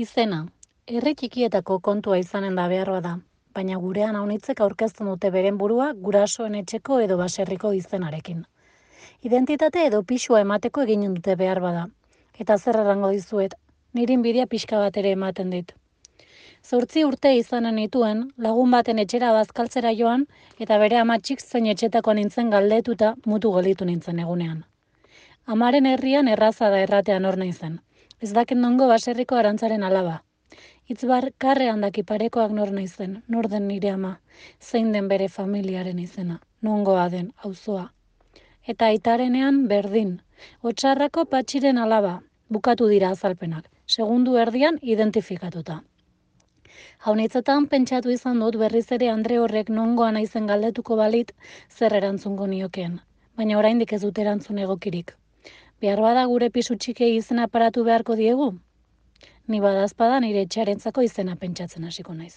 Izena, herri txikietako kontua izanen da behar bada, baina gurean haunitzek aurkezten dute beren burua gurasoen etxeko edo baserriko izenarekin. Identitate edo pisua emateko egin dute behar bada. Eta zer errango dizuet, niri inbidia pixka bat ere ematen dit. 8 urte izanen nituen, lagun baten etxera bazkaltzera joan, eta bere amatxik zein etxetako nintzen galdetuta mutu gelditu nintzen egunean. Amaren herrian erraza da erratean hor naizen. Ez dakit nongo baserriko arantzaren alaba. Karrean daki parekoak nor naizen, nor den nire ama, zein den bere familiaren izena, nongoa den, auzoa. Eta aitarenean berdin, Otsarrako patxiren alaba, bukatu dira azalpenak, segundu erdian identifikatuta. Haunitzetan pentsatu izan dut berriz ere Andre horrek nongoa naizen galdetuko balit zer erantzungo niokeen, baina oraindik ez dut erantzun egokirik. Behar bada gure pisu txikei izena paratu beharko diegu? Ni badazpada nire etxearentzako izena pentsatzen hasiko naiz.